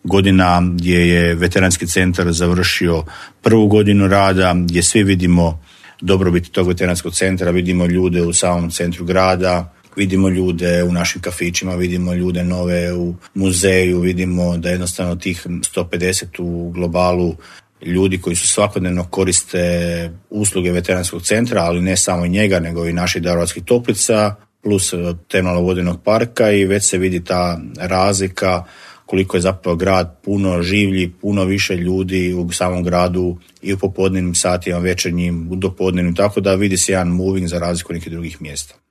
godina gdje je veteranski centar završio prvu godinu rada, gdje svi vidimo dobrobit tog veteranskog centra, vidimo ljude u samom centru grada, vidimo ljude u našim kafićima, vidimo ljude nove u muzeju, vidimo da jednostavno tih 150 u globalu ljudi koji su svakodnevno koriste usluge veteranskog centra, ali ne samo njega, nego i naših Daruvarskih toplica, plus termalnog vodenog parka, i već se vidi ta razlika koliko je zapravo grad puno življi, puno više ljudi u samom gradu i u popodnevnim satima, večernjim, u dopodnevnim, tako da vidi se jedan moving za razliku nekih drugih mjesta.